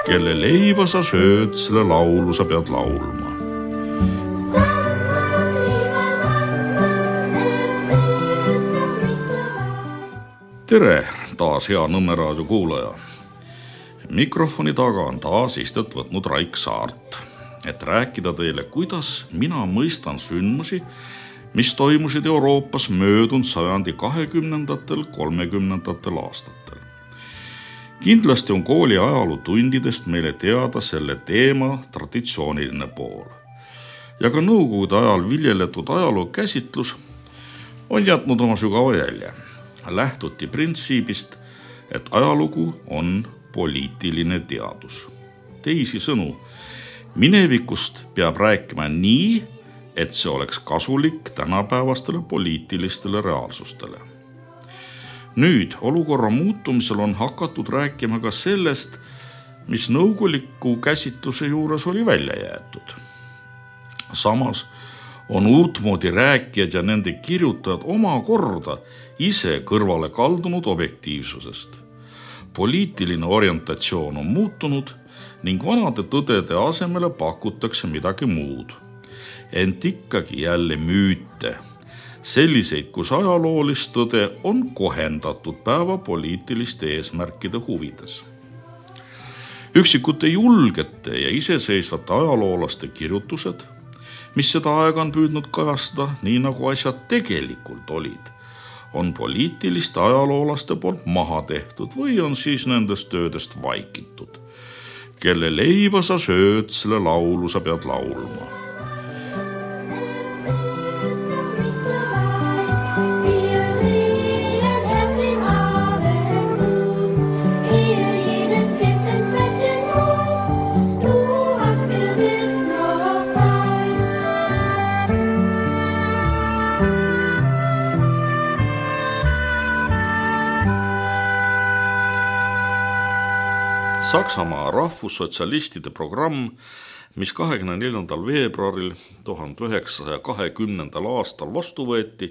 Kelle leiba sa sööd, selle laulu sa pead laulma. Tere taas hea Nõmme raadio kuulaja. Mikrofoni taga on taas istet võtnud Raik Saart, et rääkida teile, kuidas mina mõistan sündmusi, mis toimusid Euroopas möödunud sajandi 20–30 aastatel. Kindlasti on kooli ajalootundidest meile teada selle teema traditsiooniline pool. Ja ka nõukogude ajal viljeletud ajaloo käsitlus on jätnud oma sügava jälje. Lähtuti printsiibist, et ajalugu on poliitiline teadus. Teisisõnu, minevikust peab rääkima nii, et see oleks kasulik tänapäevastele poliitilistele reaalsustele. Nüüd olukorra muutumisel on hakatud rääkima ka sellest, mis nõukoguliku käsitluse juures oli välja jäetud. Samas on uutmoodi rääkijad ja nende kirjutajad omakorda ise kõrvale kaldunud objektiivsusest. Poliitiline orientatsioon on muutunud ning vanade tõdede asemele pakutakse midagi muud. Ent ikkagi jälle müüte, selliseid, kus ajaloolist tõde on kohendatud päeva poliitiliste eesmärkide huvides. Üksikute julgete ja iseseisvate ajaloolaste kirjutused, mis seda aega on püüdnud kajastada nii nagu asjad tegelikult olid, on poliitiliste ajaloolaste poolt maha tehtud või on siis nendest töödest vaikitud. Kelle leiba sa sööd, selle laulu sa pead laulma. Saksamaa rahvussotsialistide programm, mis 24. veebruaril 1920. aastal vastu võeti,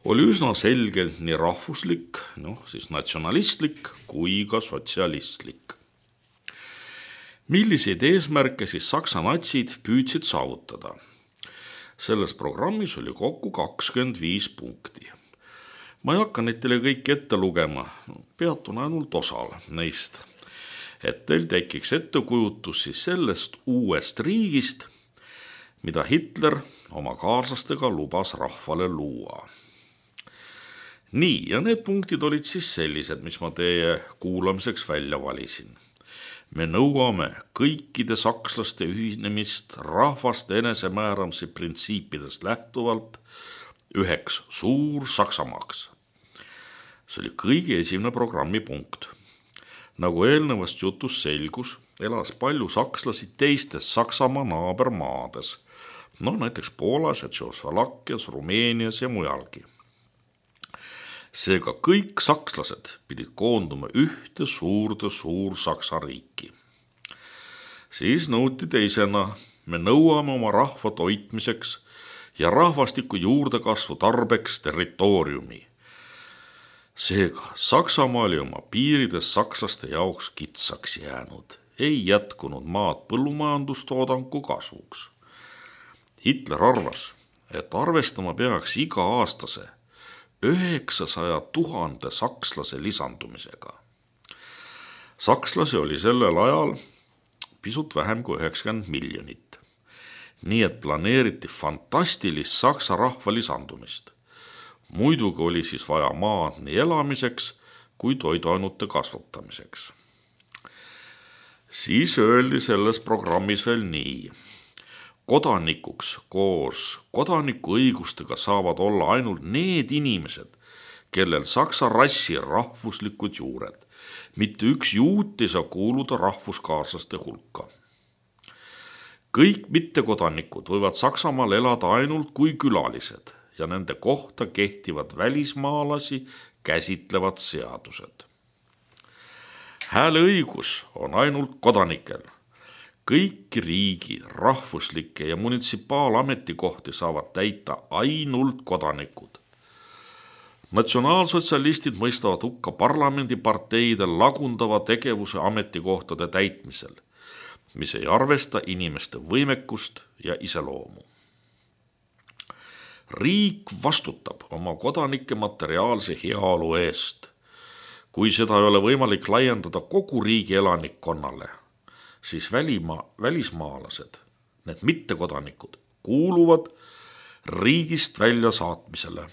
oli üsna selgelt nii rahvuslik, siis natsionalistlik kui ka sotsialistlik. Milliseid eesmärke siis Saksa natsid püüdsid saavutada? Selles programmis oli kokku 25 punkti. Ma ei hakka neid teile kõik ette lugema, peatun ainult osal neist. Et teil tekiks ettekujutus siis sellest uuest riigist, mida Hitler oma kaaslastega lubas rahvale luua. Nii, ja need punktid olid siis sellised, mis ma teie kuulamiseks välja valisin. Me nõuame kõikide sakslaste ühinemist rahvaste enesemääramise printsiipidest lähtuvalt üheks suur Saksamaaks. See oli kõige esimene programmi punkt. Nagu eelnevast jutust selgus, elas palju sakslasi teistes Saksamaa naabermaades, näiteks Poolas ja Tšehhoslovakkias, Rumeenias ja mujalgi. Seega kõik sakslased pidid koonduma ühte suur Saksa riiki. Siis nõuti teisena, me nõuame oma rahva toitmiseks ja rahvastiku juurdekasvu tarbeks territooriumi. Seega, Saksamaa oli oma piirides sakslaste jaoks kitsaks jäänud, ei jätkunud maad põllumajandustoodangu kasvuks. Hitler arvas, et arvestama peaks iga-aastase 900 000 sakslase lisandumisega. Sakslasi oli sellel ajal pisut vähem kui 90 miljonit. Nii et planeeriti fantastilist saksa rahva lisandumist. Muidugi oli siis vaja maad nii elamiseks kui toiduainute kasvatamiseks. Siis öeldi selles programmis veel nii. Kodanikuks koos kodanikuõigustega saavad olla ainult need inimesed, kellel saksa rassi rahvuslikud juured. Mitte üks juut ei saa kuuluda rahvuskaaslaste hulka. Kõik mittekodanikud võivad Saksamaal elada ainult kui külalised ja nende kohta kehtivad välismaalasi käsitlevad seadused. Hääleõigus on ainult kodanikel. Kõiki riigi, rahvuslikke ja munitsipaalametikohti saavad täita ainult kodanikud. Natsionaalsotsialistid mõistavad hukka parlamendiparteide lagundava tegevuse ametikohtade täitmisel, mis ei arvesta inimeste võimekust ja iseloomu. Riik vastutab oma kodanike materiaalse heaolu eest. Kui seda ei ole võimalik laiendada kogu riigi elanikkonnale, siis välismaalased, need mittekodanikud, kuuluvad riigist välja saatmisele.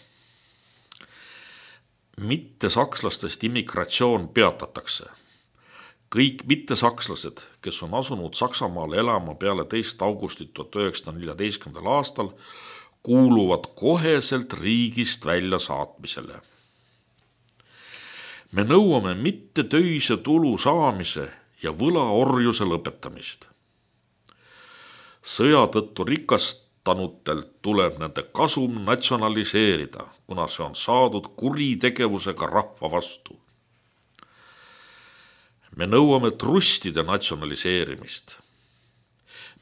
Mittesakslastest immigratsioon peatatakse. Kõik mittesakslased, kes on asunud Saksamaale elama peale 2. augustit 1914. aastal, kuuluvad koheselt riigist välja saatmisele. Me nõuame mitte töise tulu saamise ja võlaorjuse lõpetamist. Sõja tõttu rikastanutelt tuleb nende kasum natsionaliseerida, kuna see on saadud kuritegevusega rahva vastu. Me nõuame trustide natsionaliseerimist.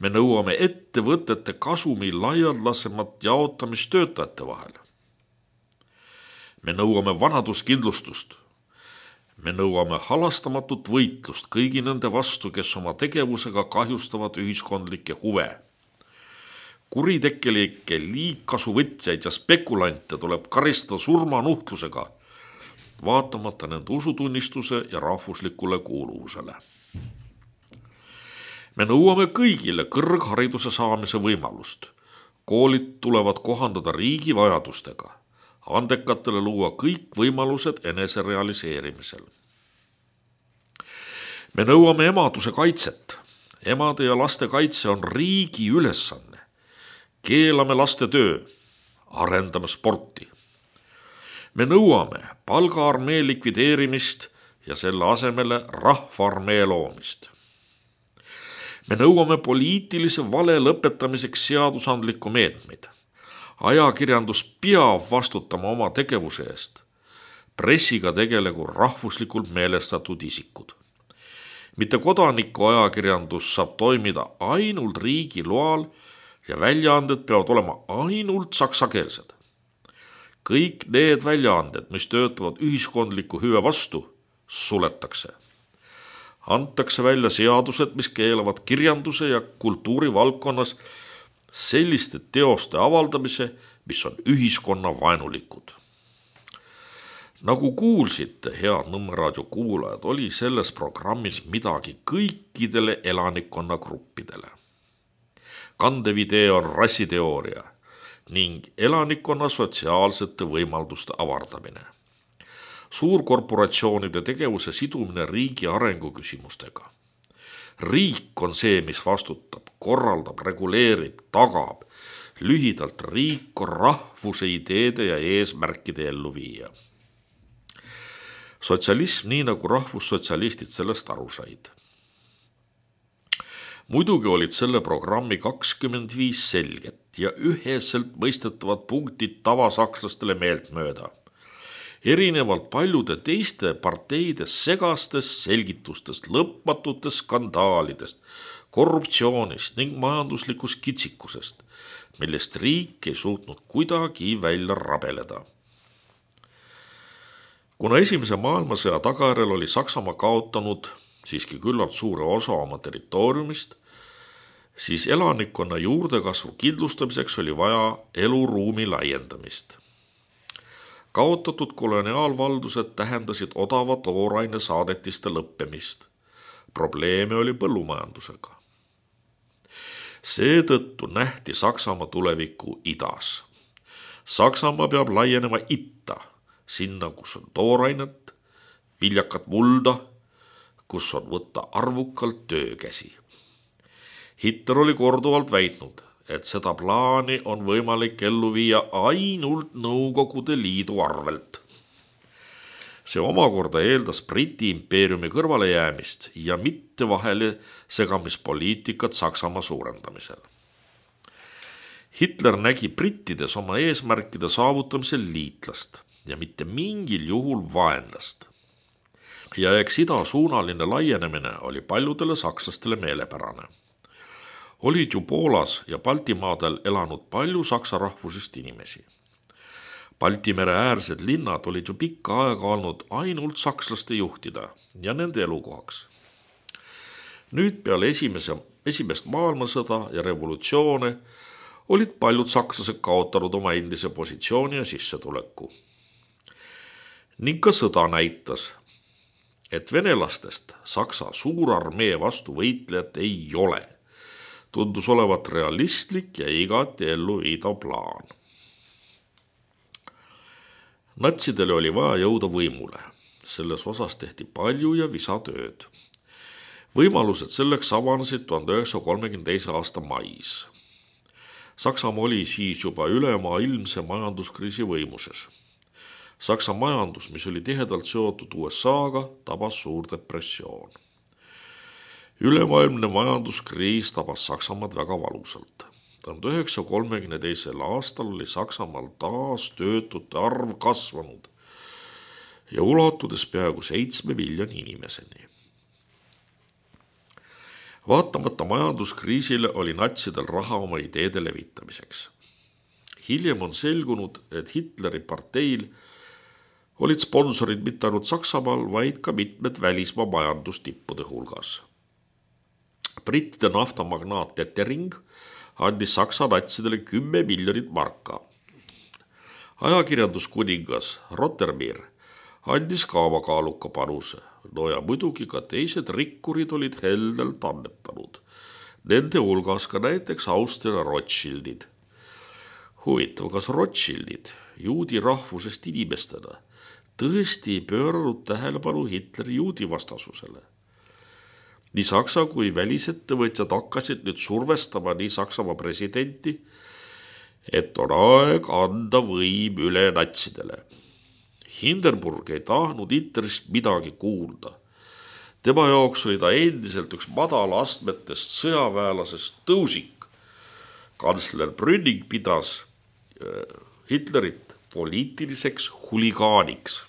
Me nõuame ettevõtete kasumi laialdasemat jaotamist töötajate vahel. Me nõuame vanaduskindlustust. Me nõuame halastamatut võitlust kõigi nende vastu, kes oma tegevusega kahjustavad ühiskondlikke huve. Kuritekkelikke liigkasuvõtjaid ja spekulante tuleb karistada surmanuhtlusega, vaatamata nende usutunnistuse ja rahvuslikule kuuluvusele. Me nõuame kõigile kõrghariduse saamise võimalust. Koolid tulevad kohandada riigi vajadustega. Andekatele luua kõik võimalused enese realiseerimisel. Me nõuame emaduse kaitset. Emade ja laste kaitse on riigi ülesanne. Keelame laste töö. Arendame sporti. Me nõuame palgaarmee likvideerimist ja selle asemele rahvaarmee loomist. Me nõuame poliitilise vale lõpetamiseks seadusandlikku meetmeid. Ajakirjandus peab vastutama oma tegevuse eest. Pressiga tegelegu rahvuslikult meelestatud isikud. Mitte kodaniku ajakirjandus saab toimida ainult riigi loal ja väljaanded peavad olema ainult saksakeelsed. Kõik need väljaanded, mis töötavad ühiskondliku hüve vastu, suletakse. Antakse välja seadused, mis keelavad kirjanduse ja kultuuri valdkonnas selliste teoste avaldamise, mis on ühiskonna vaenulikud. Nagu kuulsite, head Nõmme raadio kuulajad, oli selles programmis midagi kõikidele elanikkonnagruppidele. Kandevidee on rassiteooria ning elanikkonna sotsiaalsete võimalduste avardamine. Suurkorporatsioonide tegevuse sidumine riigi arengu küsimustega. Riik on see, mis vastutab, korraldab, reguleerib, tagab. Lühidalt riik on rahvuse ideede ja eesmärkide elluviija. Sotsialism, nii nagu rahvussotsialistid sellest aru said. Muidugi olid selle programmi 25 selget ja üheselt mõistetavat punktid tavasakslastele meeltmööda. Erinevalt paljude teiste parteide segastest selgitustest, lõpmatutest skandaalidest, korruptsioonist ning majanduslikust kitsikusest, millest riik ei suutnud kuidagi välja rabeleda. Kuna esimese maailmasõja tagajärjel oli Saksamaa kaotanud siiski küllalt suure osa oma territooriumist, siis elanikkonna juurdekasvu kindlustamiseks oli vaja eluruumi laiendamist. Kaotatud koloniaalvaldused tähendasid odava tooraine saadetiste lõppemist. Probleeme oli põllumajandusega. Seetõttu nähti Saksamaa tulevikku idas. Saksamaa peab laienema itta, sinna, kus on toorainet, viljakat mulda, kus on võtta arvukalt töökäsi. Hitler oli korduvalt väitnud, et seda plaani on võimalik ellu viia ainult Nõukogude Liidu arvelt. See omakorda eeldas Briti impeeriumi kõrvalejäämist ja mitte vahele segamispoliitikat Saksamaa suurendamisel. Hitler nägi brittides oma eesmärkide saavutamisel liitlast ja mitte mingil juhul vaenlast. Ja eks idasuunaline laienemine oli paljudele sakslastele meelepärane. Olid ju Poolas ja Baltimaadel elanud palju saksa rahvusest inimesi. Balti mere äärsed linnad olid ju pikka aega olnud ainult sakslaste juhtida ja nende elukohaks. Nüüd peale esimest maailmasõda ja revolutsioone olid paljud sakslased kaotanud oma endise positsiooni ja sissetuleku. Ning ka sõda näitas, et venelastest Saksa suurarmee vastu võitlejat ei ole. Tundus olevat realistlik ja igati ellu viidav plaan. Natsidele oli vaja jõuda võimule. Selles osas tehti palju ja visatööd. Võimalused selleks avanesid 1932. aasta mais. Saksamaa oli siis juba ülemaailmse majanduskriisi võimuses. Saksa majandus, mis oli tihedalt seotud USA-ga, tabas suur depressioon. Ülemaailmne majanduskriis tabas Saksamaad väga valusalt. 1932. aastal oli Saksamaal taas töötute arv kasvanud ja ulatudes peaaegu 7 miljoni inimeseni. Vaatamata majanduskriisile oli natsidel raha oma ideede levitamiseks. Hiljem on selgunud, et Hitleri parteil olid sponsorid mitte ainult Saksamaal, vaid ka mitmed välismaa majandustippude hulgas. Brittide naftamagnaat Detering andis Saksa natsidele 10 miljonit marka. Ajakirjanduskuningas Rottermeier andis ka oma kaaluka panuse. No ja muidugi ka teised rikkurid olid heldelt annetanud. Nende hulgas ka näiteks Austria Rothschildid. Huvitav, kas Rothschildid juudi rahvusest inimestena tõesti ei pööranud tähelepanu Hitleri juudi vastasusele? Nii Saksa kui välisettevõtjad hakkasid nüüd survestama nii Saksamaa presidenti, et on aeg anda võim üle natsidele. Hindenburg ei tahtnud Hitlerist midagi kuulda. Tema jaoks oli ta endiselt üks madala astmetest sõjaväelasest tõusik. Kantsler Brüning pidas Hitlerit poliitiliseks huligaaniks.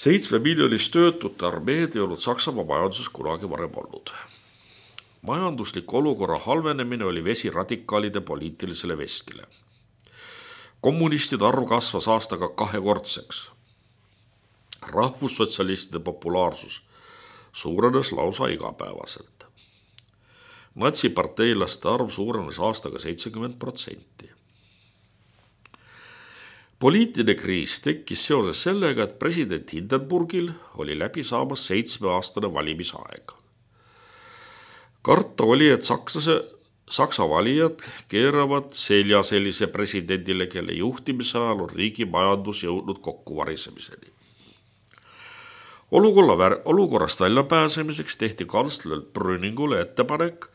7 miljonist töötute armeed ei olnud Saksamaa majanduses kunagi varem olnud. Majanduslik olukorra halvenemine oli vesi radikaalide poliitilisele veskile. Kommunistide arv kasvas aastaga 2-kordseks. Rahvussotsialistide populaarsus suurenes lausa igapäevaselt. Natsiparteilaste arv suurenes aastaga 70%. Poliitiline kriis tekkis seoses sellega, et president Hindenburgil oli läbi saamas 7-aastane valimisaeg. Karta oli, et Saksa valijad keeravad selja sellise presidendile, kelle juhtimise ajal on riigi majandus jõudnud kokkuvarisemiseni. Olukorrast väljapääsemiseks tehti kantsler Brüningule ettepanek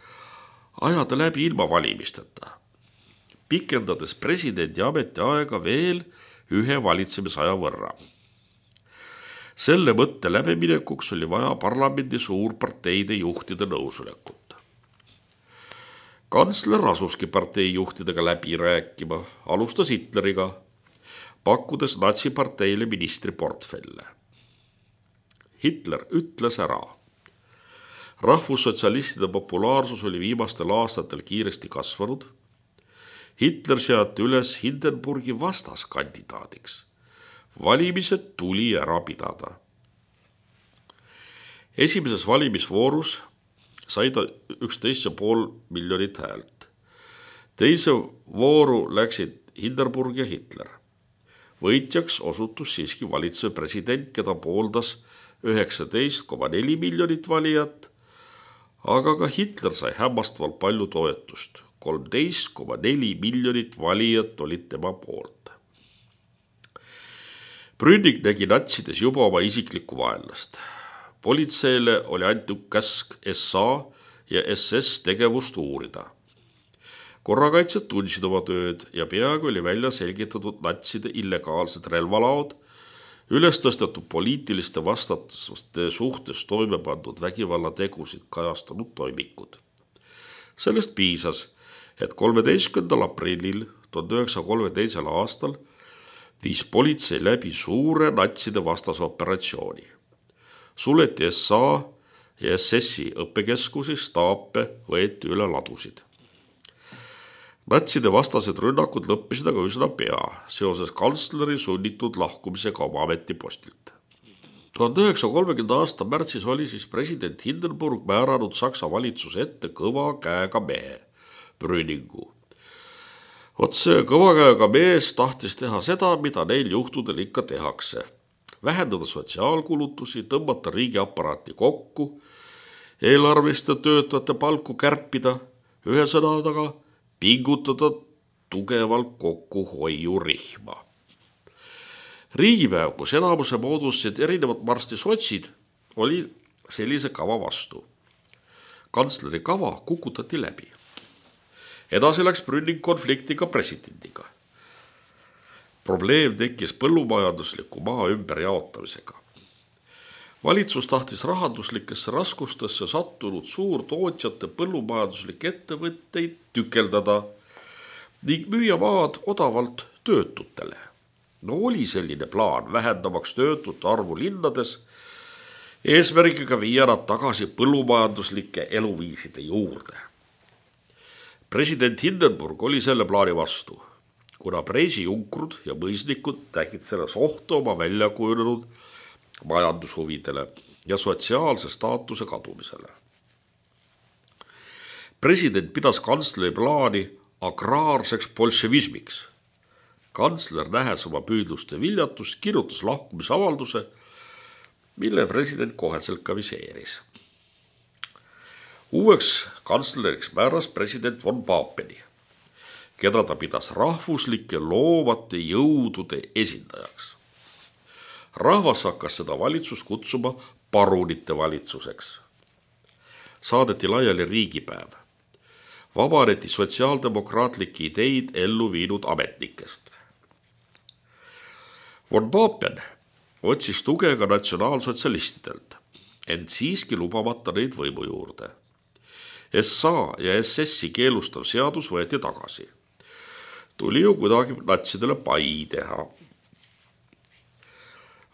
ajada läbi ilma valimisteta, pikendades presidendi ametiaega veel 1 valitsemisaja võrra. Selle mõtte läbiminekuks oli vaja parlamendi suurparteide juhtide nõusolekut. Kantsler asuski partei juhtidega läbi rääkima, alustas Hitleriga, pakkudes natsiparteile ministriportfelle. Hitler ütles ära. Rahvussotsialistide populaarsus oli viimastel aastatel kiiresti kasvanud. Hitler seati üles Hindenburgi vastaskandidaadiks. Valimised tuli ära pidada. Esimeses valimisvoorus sai ta 11,5 miljonit häält. Teise vooru läksid Hindenburg ja Hitler. Võitjaks osutus siiski valitsev president, keda pooldas 19,4 miljonit valijat, aga ka Hitler sai hämmastavalt palju toetust. 13,4 miljonit valijat olid tema poolt. Brüning nägi natsides juba oma isiklikku vaenlast. Politseile oli antud käsk SA ja SS tegevust uurida. Korrakaitsjad tundsid oma tööd ja peaaegu oli välja selgitatud natside illegaalsed relvalaod, üles tõstetud poliitiliste vastaste suhtes toime pandud vägivallategusid kajastanud toimikud. Sellest piisas, et 13. aprillil 1932. aastal viis politsei läbi suure natside vastase operatsiooni. Suleti SA ja SS-i õppekeskusi, staape võeti üle ladusid. Natside vastased rünnakud lõppisid aga üsna pea seoses kantsleri sunnitud lahkumisega oma ametipostilt. 1930. aasta märtsis oli siis president Hindenburg määranud Saksa valitsuse ette kõva käega mehe, Brüningu. Vot see kõva käega mees tahtis teha seda, mida neil juhtudel ikka tehakse. Vähendada sotsiaalkulutusi, tõmmata riigiaparaati kokku, eelarviste töötajate palku kärpida, ühesõnaga pingutada tugevalt kokku hoiurihma. Riigipäev, kus enamuse moodustasid erinevad marsti sotsid, oli sellise kava vastu. Kantsleri kava kukutati läbi. Edasi läks Brüning konfliktiga presidendiga. Probleem tekkis põllumajandusliku maa ümberjaotamisega. Valitsus tahtis rahanduslikesse raskustesse sattunud suurtootjate põllumajanduslikke ettevõtteid tükeldada ning müüa maad odavalt töötutele. No oli selline plaan vähendamaks töötute arvu linnades, eesmärgiga viia nad tagasi põllumajanduslike eluviiside juurde. President Hindenburg oli selle plaani vastu, kuna preisijunkrud ja mõisnikud nägid selles ohtu oma välja kujunenud majandushuvidele ja sotsiaalse staatuse kadumisele. President pidas kantsleri plaani agraarseks bolševismiks. Kantsler, nähes oma püüdluste viljatust, kirjutas lahkumisavalduse, mille president koheselt ka viseeris. Uueks kantsleriks määras president von Papeni, keda ta pidas rahvuslike loovate jõudude esindajaks. Rahvas hakkas seda valitsust kutsuma parunite valitsuseks. Saadeti laiali riigipäev. Vabaneti sotsiaaldemokraatlikke ideid ellu viinud ametnikest. Von Papen otsis tuge ka natsionaalsotsialistidelt, ent siiski lubamata neid võimu juurde. SA ja SS-i keelustav seadus võeti tagasi. Tuli ju kuidagi natsidele pai teha.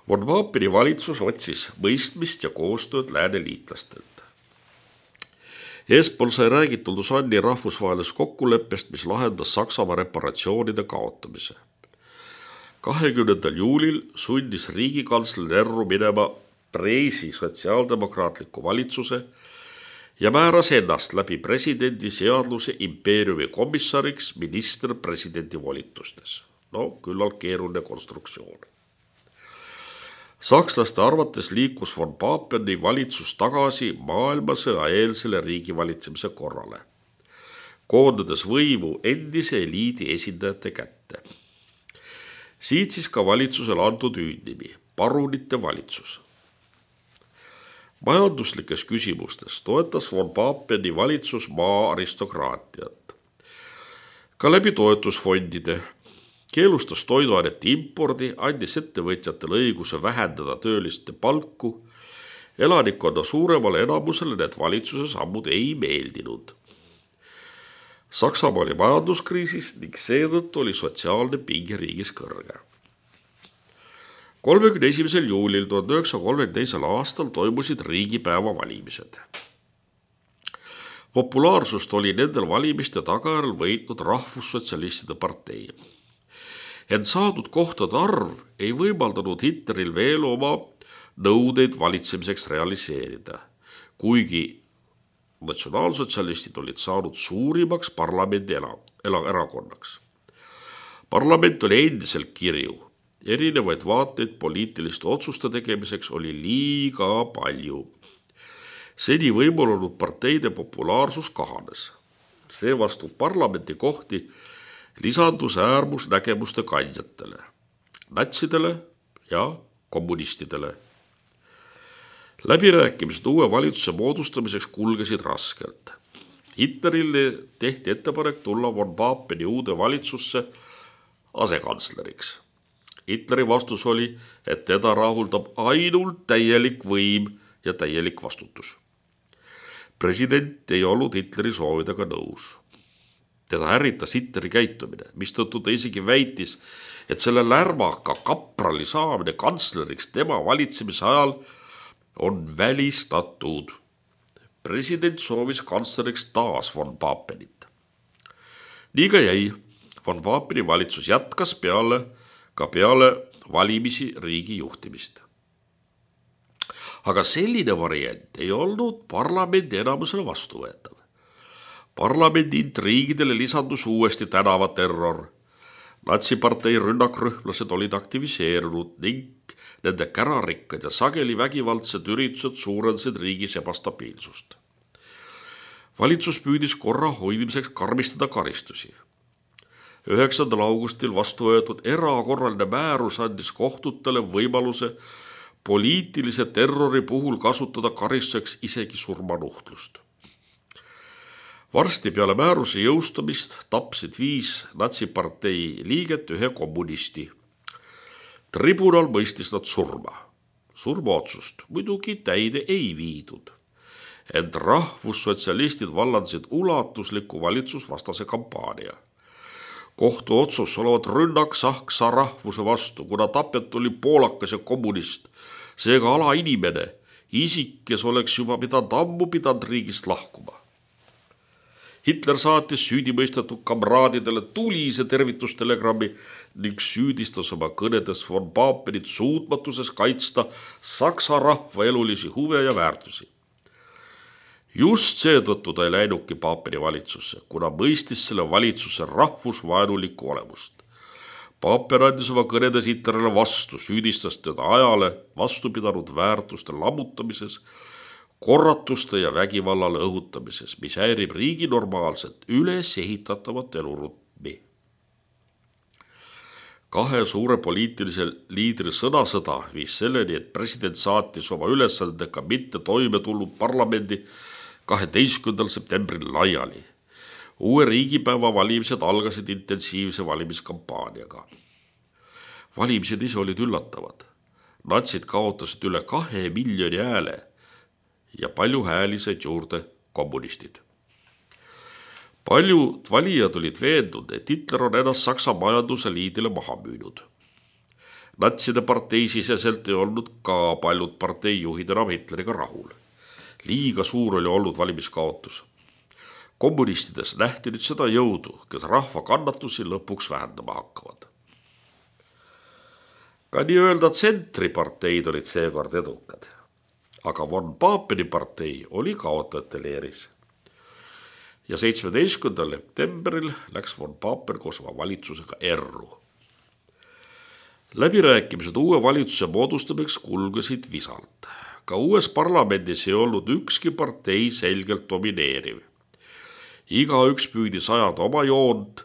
Von Papeni valitsus otsis mõistmist ja koostööd lääne liitlastelt. Eespool sai räägitud Lausanne'i rahvusvahelisest kokkuleppest, mis lahendas Saksamaa reparatsioonide kaotamise. 20. juulil sundis riigikantsler erru minema Preisi sotsiaaldemokraatliku valitsuse ja määras ennast läbi presidendi seadluse impeeriumi komissariks minister presidendi volitustes. No, küllalt keeruline konstruktsioon. Sakslaste arvates liikus von Papeni valitsus tagasi maailmasõja eelsele riigivalitsemise korrale, koondades võimu endise eliidi esindajate kätte. Siit siis ka valitsusele antud hüüdnimi, parunite valitsus. Majanduslikes küsimustes toetas von Papeni valitsus maa aristokraatiat. Ka läbi toetusfondide keelustas toiduainete impordi, andis ettevõtjatele õiguse vähendada tööliste palku. Elanikkonna suuremale enamusele need valitsuse sammud ei meeldinud. Saksamaa oli majanduskriisis ning seetõttu oli sotsiaalne pinge riigis kõrge. 31. juulil 1932. aastal toimusid riigipäeva valimised. Populaarsust oli nendel valimiste tagajärjel võitnud rahvussotsialistide partei. Ent saadud kohtade arv ei võimaldanud Hitleril veel oma nõudeid valitsemiseks realiseerida, kuigi natsionaalsotsialistid olid saanud suurimaks parlamendi erakonnaks. Parlament oli endiselt kirju, erinevaid vaateid poliitiliste otsuste tegemiseks oli liiga palju. Seni võimul olnud parteide populaarsus kahanes. Seevastu parlamendi kohti lisandus äärmusnägemuste kandjatele, natsidele ja kommunistidele. Läbirääkimised uue valitsuse moodustamiseks kulgesid raskelt. Hitlerile tehti ettepanek tulla von Papeni uude valitsusse asekantsleriks. Hitleri vastus oli, et teda rahuldab ainult täielik võim ja täielik vastutus. President ei olnud Hitleri soovidega nõus. Teda ärritas Hitleri käitumine, mistõttu ta isegi väitis, et selle lärmaka kaprali saamine kantsleriks tema valitsemise ajal on välistatud. President soovis kantsleriks taas von Papenit. Nii ka jäi. Von Paapeni valitsus jätkas peale valimisi riigi juhtimist. Aga selline variant ei olnud parlamendi enamusele vastuvõetav. Parlamendi intriigidele lisandus uuesti tänavaterror. Natsipartei rünnakrühmlased olid aktiviseerunud ning nende kärarikkad ja sageli vägivaldsed üritused suurendasid riigis ebastabiilsust. Valitsus püüdis korra hoidmiseks karmistada karistusi. 9. augustil vastu võetud erakorraline määrus andis kohtutele võimaluse poliitilise terrori puhul kasutada karistuseks isegi surmanuhtlust. Varsti peale määruse jõustumist tapsid 5 natsipartei liiget 1 kommunisti. Tribunal mõistis nad surma. Surmaotsust muidugi täide ei viidud. Ent rahvussotsialistid vallandasid ulatusliku valitsusvastase kampaania. Kohtuotsus olevat rünnak saksa rahvuse vastu, kuna tapjat oli poolakas ja kommunist, seega alainimene, isik, kes oleks juba ammu pidanud riigist lahkuma. Hitler saatis süüdimõistetud kamraadidele tulise tervitustelegrammi ning süüdistas oma kõnedes von Papenit suutmatuses kaitsta saksa rahva elulisi huve ja väärtusi. Just seetõttu ta ei läinudki Paapeni valitsusse, kuna mõistis selle valitsuse rahvusvaenulikku olemust. Paapen andis oma kõnedes Hitlerile vastu, süüdistas teda ajale vastu pidanud väärtuste lammutamises, korratuste ja vägivallale õhutamises, mis häirib riigi normaalset üles ehitatavat elurütmi. 2 suure poliitilise liidri sõnasõda viis selleni, et president saatis oma ülesandega mitte toime tulnud parlamendi 12. septembril laiali. Uue riigipäeva valimised algasid intensiivse valimiskampaaniaga. Valimised ise olid üllatavad. Natsid kaotasid üle 2 miljoni hääle ja palju hääli said juurde kommunistid. Paljud valijad olid veendunud, et Hitler on ennast Saksa majanduse liidile maha müünud. Natside partei siseselt ei olnud ka paljud parteijuhid enam Hitleriga rahul. Liiga suur oli olnud valimiskaotus. Kommunistides nähti nüüd seda jõudu, kes rahva kannatusi lõpuks vähendama hakkavad. Ka nii-öelda tsentriparteid olid seekord edukad, aga von Paapeni partei oli kaotajate leeris. Ja 17. septembril läks von Paapen koos oma valitsusega erru. Läbirääkimised uue valitsuse moodustamiseks kulgesid visalt. Ka uues parlamendis ei olnud ükski partei selgelt domineeriv. Igaüks püüdis ajada oma joont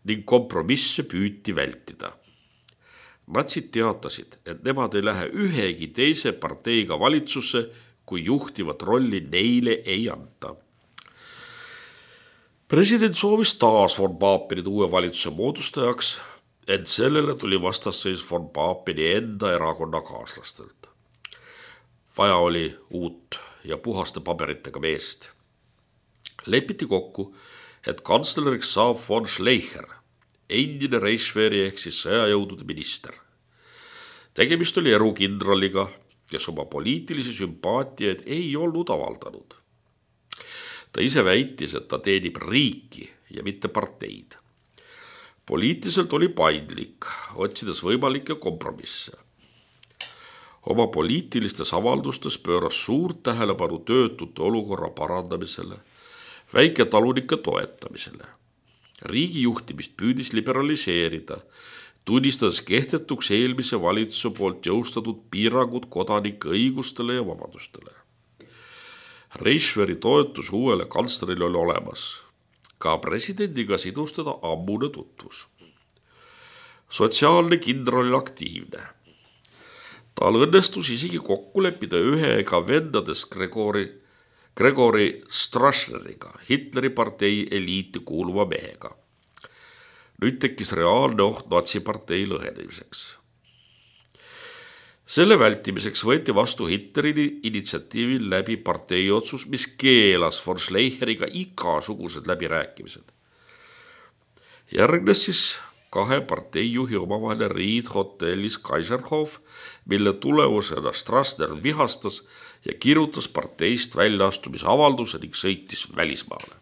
ning kompromisse püüti vältida. Natsid teatasid, et nemad ei lähe ühegi teise parteiga valitsusse, kui juhtivat rolli neile ei anta. President soovis taas von Paapenit uue valitsuse moodustajaks, ent sellele tuli vastasseis von Paapeni enda erakonnakaaslastelt. Vaja oli uut ja puhaste paberitega meest. Lepiti kokku, et kantsleriks saab von Schleicher, endine Reichswehri ehk siis sõjajõudude minister. Tegemist oli erukindraliga, kes oma poliitilisi sümpaatiaid ei olnud avaldanud. Ta ise väitis, et ta teenib riiki ja mitte parteid. Poliitiliselt oli paindlik, otsides võimalikke kompromisse. Oma poliitilistes avaldustes pööras suurt tähelepanu töötute olukorra parandamisele, väiketalunike toetamisele. Riigi juhtimist püüdis liberaliseerida, tunnistades kehtetuks eelmise valitsuse poolt jõustatud piirangud kodanike õigustele ja vabadustele. Reichswehri toetus uuele kantslerile oli olemas. Ka presidendiga sidus teda ammune tutvus. Sotsiaalne kindral oli aktiivne. Tal õnnestus isegi kokku leppida ühega vendadest Gregori Strasseriga, Hitleri partei eliiti kuuluva mehega. Nüüd tekkis reaalne oht natsipartei lõhenemiseks. Selle vältimiseks võeti vastu Hitleri initsiatiivil läbi parteiotsus, mis keelas von Schleicheriga igasugused läbirääkimised. Järgnes siis 2 parteijuhi omavaheline riid hotellis Kaiserhof, mille tulemusena Strassner vihastas ja kirjutas parteist väljaastumisavalduse ning sõitis välismaale.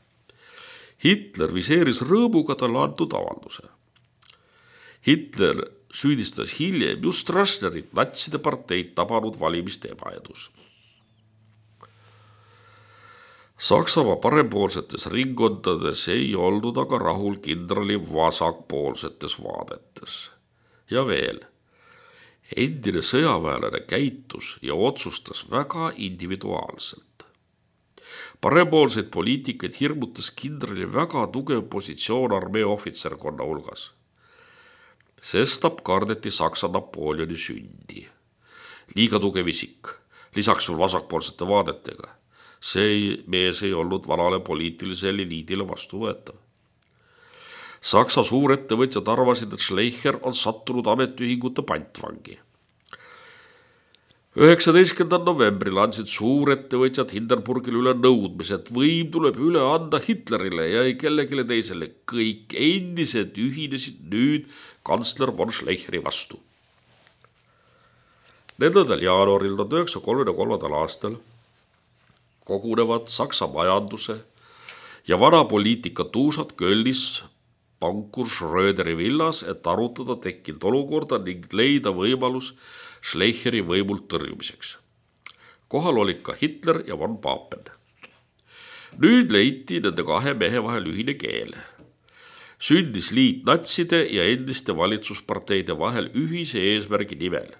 Hitler viseeris rõõmuga talle antud avalduse. Hitler süüdistas hiljem just Stroessnerit natside parteid tabanud valimiste ebaedus. Saksamaa parempoolsetes ringkondades ei olnud aga rahul kindrali vasakpoolsetes vaadetes. Ja veel, endine sõjaväelane käitus ja otsustas väga individuaalselt. Parempoolseid poliitikaid hirmutas kindrali väga tugev positsioon armee ohvitserkonna hulgas. Sestap kardeti Saksa Napoleoni sündi. Liiga tugev isik, lisaks veel vasakpoolsete vaadetega. See mees ei olnud vanale poliitilisele eliidile vastuvõetav. Saksa suurettevõtjad arvasid, et Schleicher on sattunud ametiühingute pantvangi. 19. novembril andsid suurettevõtjad Hindenburgile üle nõudmise, et võim tuleb üle anda Hitlerile ja ei kellelegi teisele. Kõik endised ühinesid nüüd kantsler von Schleicheri vastu. 4. jaanuaril 1933. aastal kogunevad Saksa majanduse ja vana poliitika tuusad Kölnis pankur Schröderi villas, et arutada tekkinud olukorda ning leida võimalus Schleicheri võimult tõrjumiseks. Kohal olid ka Hitler ja von Papen. Nüüd leiti nende kahe mehe vahel ühine keel. Sündis liit natside ja endiste valitsusparteide vahel ühise eesmärgi nimel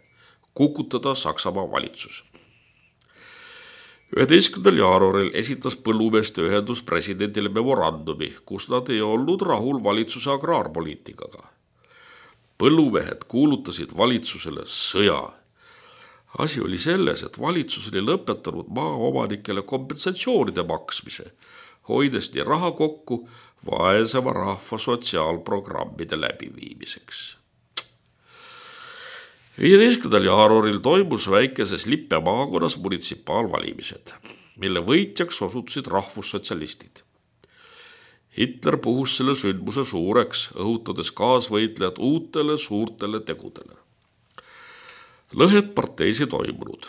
kukutada Saksamaa valitsus. 11. jaanuaril esitas põllumeeste ühendus presidendile memorandumi, kus nad ei olnud rahul valitsuse agraarpoliitikaga. Põllumehed kuulutasid valitsusele sõja. Asi oli selles, et valitsus oli lõpetanud maaomanikele kompensatsioonide maksmise, hoides nii raha kokku vaesema rahva sotsiaalprogrammide läbiviimiseks. 15. jaanuaril toimus väikeses Lippe maakonnas munitsipaalvalimised, mille võitjaks osutusid rahvussotsialistid. Hitler puhus selle sündmuse suureks, õhutades kaasvõitlejad uutele suurtele tegudele. Lõhed parteis ei toimunud.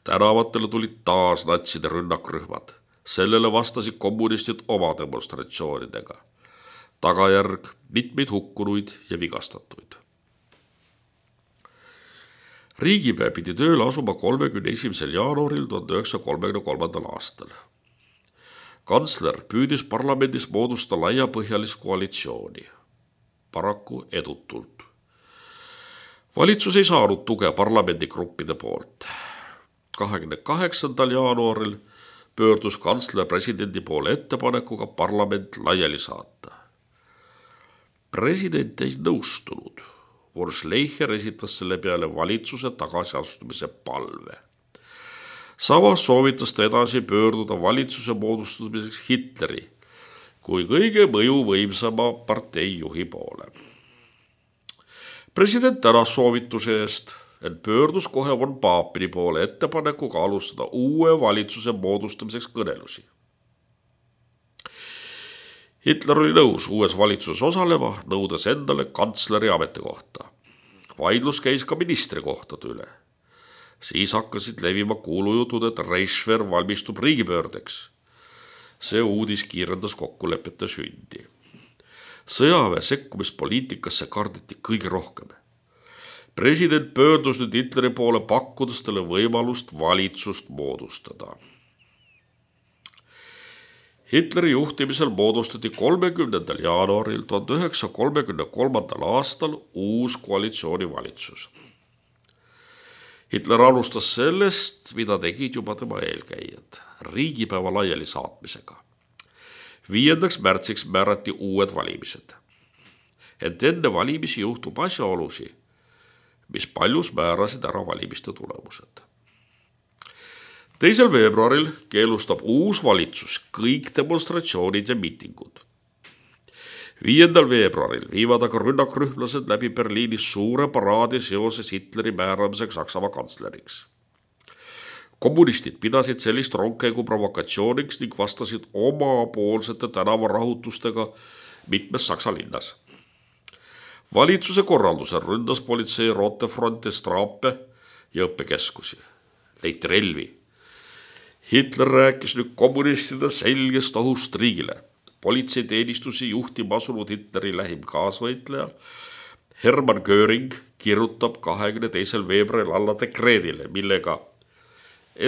Tänavatele tulid taas natside rünnakrühmad. Sellele vastasid kommunistid oma demonstratsioonidega. Tagajärg mitmeid hukkunuid ja vigastatuid. Riigipea pidi tööle asuma 31. jaanuaril 1933. aastal. Kantsler püüdis parlamendis moodustada laiapõhjalist koalitsiooni. Paraku edutult. Valitsus ei saanud tuge parlamendigruppide poolt. 28. jaanuaril pöördus kantsler presidendi poole ettepanekuga parlament laiali saata. President ei nõustunud. Von Schleicher esitas selle peale valitsuse tagasiastumise palve. Samas soovitas ta edasi pöörduda valitsuse moodustamiseks Hitleri kui kõige mõjuvõimsama parteijuhi poole. President tänas soovituse eest, et pöördus kohe von Papeni poole ettepanekuga alustada uue valitsuse moodustamiseks kõnelusi. Hitler oli nõus uues valitsuses osalema, nõudes endale kantsleri ametikohta. Vaidlus käis ka ministri kohtade üle. Siis hakkasid levima kuulujutud, et Reichswehr valmistub riigipöördeks. See uudis kiirendas kokkulepete sündi. Sõjaväe sekkumispoliitikasse kardeti kõige rohkem. President pöördus nüüd Hitleri poole, pakkudes talle võimalust valitsust moodustada. Hitleri juhtimisel moodustati 30. jaanuaril 1933. aastal uus koalitsioonivalitsus. Hitler alustas sellest, mida tegid juba tema eelkäijad, riigipäeva laiali saatmisega. 5. märtsiks määrati uued valimised. Ent enne valimisi juhtub asjaolusi, mis paljus määrasid ära valimiste tulemused. 2. veebruaril keelustab uus valitsus kõik demonstratsioonid ja miitingud. 5. veebruaril viivad aga rünnakrühmlased läbi Berliinis suure paraadi seoses Hitleri määramiseks Saksamaa kantsleriks. Kommunistid pidasid sellist rongkäigu provokatsiooniks ning vastasid omapoolsete tänavarahutustega mitmes Saksa linnas. Valitsuse korraldusel ründas politsei Rotefronte, Strape ja õppekeskusi. Leiti relvi. Hitler rääkis nüüd kommunistide selgest ohust riigile. politseiteenistusi juhtima asunud Hitleri lähim kaasvõitleja Hermann Göring kirjutab 22. veebruaril alla dekreedile, millega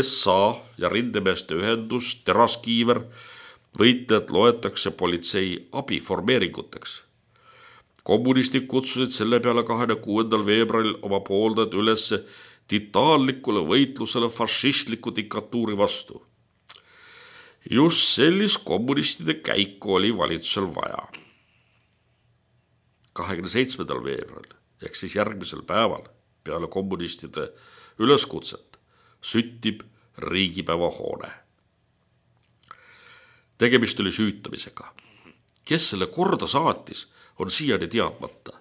SA ja rindemeeste ühendus Teraskiiver võitlejad loetakse politsei abiformeeringuteks. Kommunistid kutsusid selle peale 26. veebruaril oma pooldajad üles titaanlikule võitlusele fašistliku diktatuuri vastu. Just sellist kommunistide käiku oli valitsusel vaja. 27. veebruaril ehk siis järgmisel päeval peale kommunistide üleskutset süttib riigipäeva hoone. Tegemist oli süütamisega. Kes selle korda saatis, on siiani teadmata.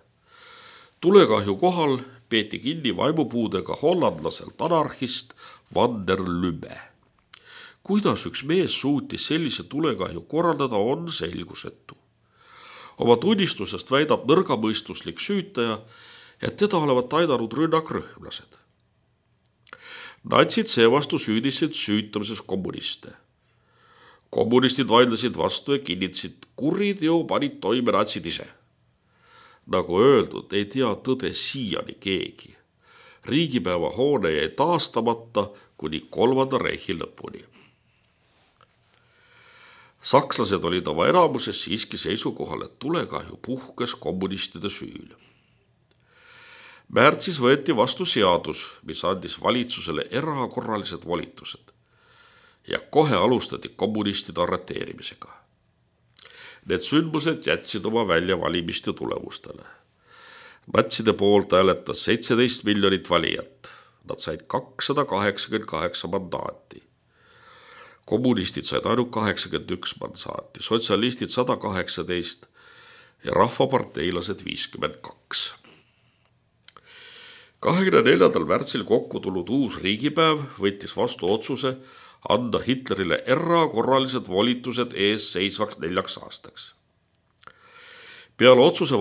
Tulekahju kohal peeti kinni vaimupuudega hollandlaselt anarhist Van der Lubbe. Kuidas üks mees suutis sellise tulekahju korraldada, on selgusetu. Oma tunnistusest väidab nõrgamõistuslik süütaja, et teda olevat aidanud rünnakrühmlased. Natsid seevastu süüdisid süütamises kommuniste. Kommunistid vaidlesid vastu ja kinnitasid, kuriteo panid toime natsid ise. Nagu öeldud, ei tea tõde siiani keegi. Riigipäeva hoone jäi taastamata kuni 3. reihi lõpuni. Sakslased olid oma enamuses siiski seisukohal, et tulekahju puhkes kommunistide süül. Märtsis võeti vastu seadus, mis andis valitsusele erakorralised volitused ja kohe alustati kommunistide arreteerimisega. Need sündmused jätsid oma välja valimiste tulemustele. Natside poolt hääletas 17 miljonit valijat. Nad said 288 mandaati. Kommunistid said ainult 81 mandaati, sotsialistid 118 ja rahvaparteilased 52. 24. märtsil kokku tulnud uus riigipäev võttis vastu otsuse anda Hitlerile erakorralised volitused ees seisvaks 4 aastaks. Peale otsuse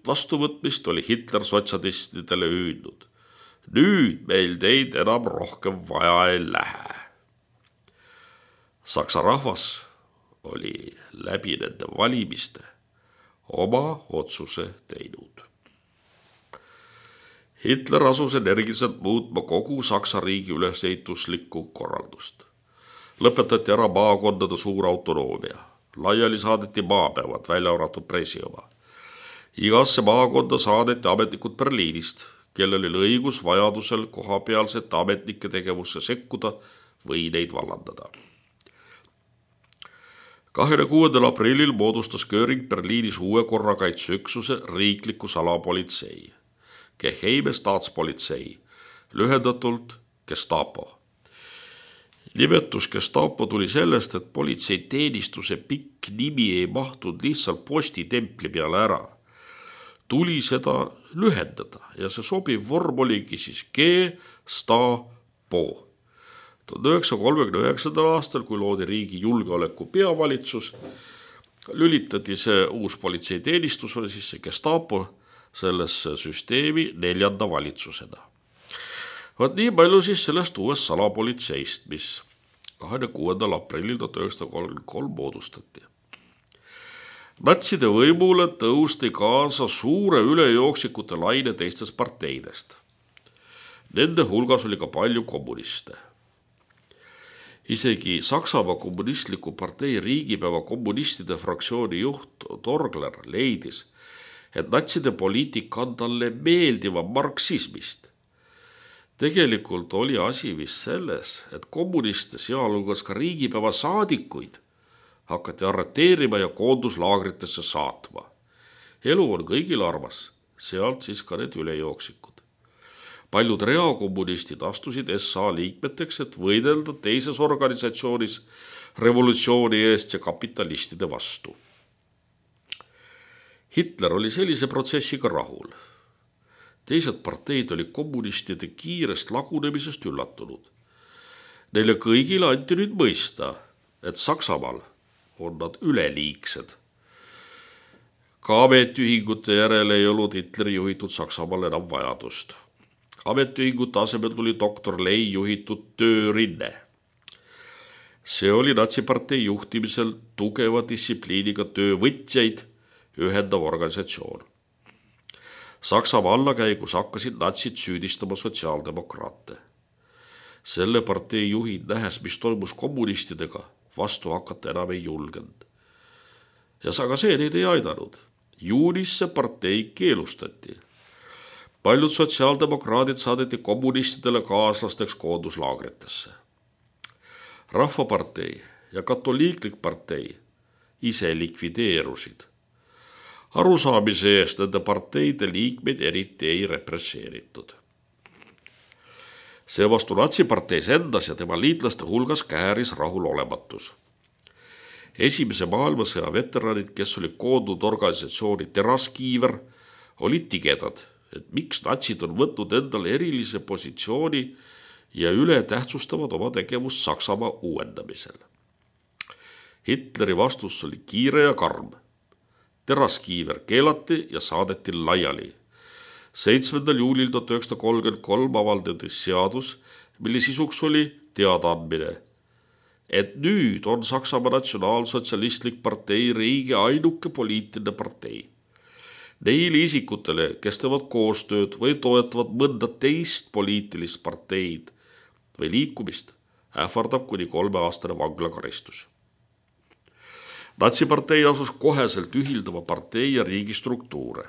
vastuvõtmist oli Hitler sotsialistidele hüüdnud. Nüüd meil teid enam rohkem vaja ei lähe. Saksa rahvas oli läbi nende valimiste oma otsuse teinud. Hitler asus energiliselt muutma kogu Saksa riigi ülesehituslikku korraldust. Lõpetati ära maakondade suur autonoomia. Laiali saadeti maapäevad, välja arvatud pressi oma. Igasse maakonda saadeti ametnikud Berliinist, kellel oli õigus vajadusel kohapealsete ametnike tegevusse sekkuda või neid vallandada. 26. aprillil moodustas Göring Berliinis uue korrakaitseüksuse riikliku salapolitsei, Geheime Staatspolitsei, lühendatult Gestapo. Nimetus Gestapo tuli sellest, et politseiteenistuse pikk nimi ei mahtunud lihtsalt postitempli peale ära. Tuli seda lühendada ja see sobiv vorm oligi siis Gestapo. 1939. aastal, kui loodi riigi julgeoleku peavalitsus, lülitati see uus politseiteenistus, siis see Gestapo sellesse süsteemi 4. valitsusena. Vaat nii palju siis sellest uuest salapolitseist, mis 26. aprillil 1933 moodustati. Natside võimule tõusti kaasa suure ülejooksikute laine teistest parteidest. Nende hulgas oli ka palju kommuniste. Isegi Saksamaa kommunistliku partei riigipäeva kommunistide fraktsiooni juht Torgler leidis, et natside poliitika on talle meeldiva marksismist. Tegelikult oli asi vist selles, et kommuniste, sealhulgas ka riigipäeva saadikuid, hakati arreteerima ja koonduslaagritesse saatma. Elu on kõigil armas, sealt siis ka need ülejooksikud. Paljud reakommunistid astusid SA liikmeteks, et võidelda teises organisatsioonis revolutsiooni eest ja kapitalistide vastu. Hitler oli sellise protsessiga rahul. Teised parteid oli kommunistide kiirest lagunemisest üllatunud. Neile kõigile anti nüüd mõista, et Saksamaal on nad üleliigsed. Ka ametiühingute järele ei olnud Hitleri juhitud Saksamaal enam vajadust. Ametiühingute asemel tuli doktor Lei juhitud töörinne. See oli natsipartei juhtimisel tugeva distsipliiniga töövõtjaid ühendav organisatsioon. Saksamaa allakäigus hakkasid natsid süüdistama sotsiaaldemokraate. Selle partei juhid, nähes, mis toimus kommunistidega, vastu hakata enam ei julgenud. Ja aga see neid ei aidanud. Juunis see partei keelustati. Paljud sotsiaaldemokraadid saadeti kommunistidele kaaslasteks koonduslaagritesse. Rahvapartei ja katoliiklik partei ise likvideerusid. Arusaamise eest nende parteide liikmeid eriti ei represseeritud. Seevastu natsiparteis endas ja tema liitlaste hulgas kääris rahulolematus. Esimese maailmasõja veteranid, kes olid koondunud organisatsiooni Teraskiiver, olid tigedad, et miks natsid on võtnud endale erilise positsiooni ja üle tähtsustavad oma tegevust Saksamaa uuendamisel. Hitleri vastus oli kiire ja karm. Teraskiiver keelati ja saadeti laiali. 7. juulil 1933 avaldati seadus, mille sisuks oli teadaandmine, et nüüd on Saksamaa Natsionaalsotsialistlik partei riigi ainuke poliitiline partei. Neile isikutele, kes teevad koostööd või toetavad mõnda teist poliitilist parteid või liikumist, ähvardab kuni 3-aastane vanglakaristus. Natsipartei asus koheselt ühildama partei ja riigi struktuure.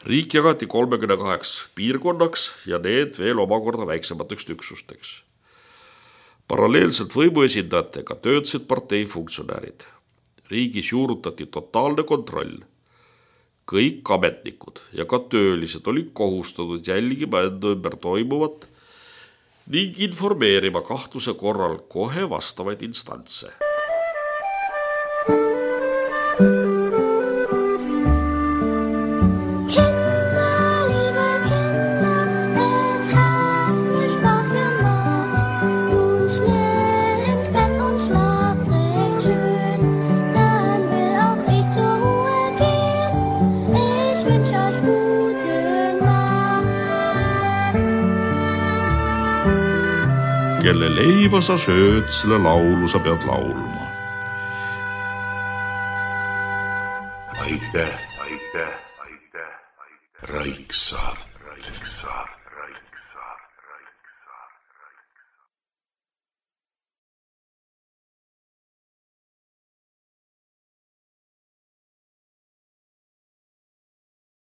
Riik jagati 38 piirkonnaks ja need veel omakorda väiksemateks üksusteks. Paralleelselt võimuesindajatega töötasid partei funktsionäärid. Riigis juurutati totaalne kontroll. Kõik ametnikud ja ka töölised olid kohustatud jälgima enda ümber toimuvat ning informeerima kahtluse korral kohe vastavaid instantse. Kelle leiba sa sööd, selle laulu sa pead laulma. Aitäh, Raiksaart.